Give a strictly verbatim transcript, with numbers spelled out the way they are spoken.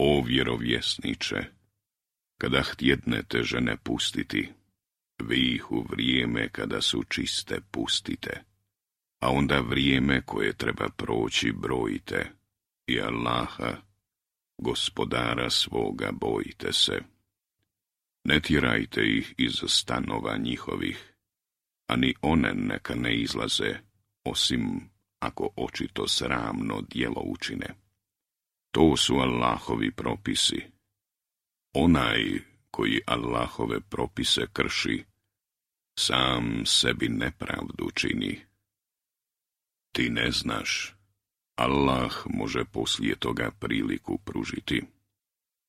O vjerovjesniče, kada htjednete žene pustiti, vi ih u vrijeme kada su čiste pustite, a onda vrijeme koje treba proći brojite, i Allaha, gospodara svoga, bojite se. Ne tjerajte ih iz stanova njihovih, ani one neka ne izlaze, osim ako očito sramno djelo učine. To su Allahovi propisi. Onaj koji Allahove propise krši, sam sebi nepravdu čini. Ti ne znaš, Allah može poslije toga priliku pružiti.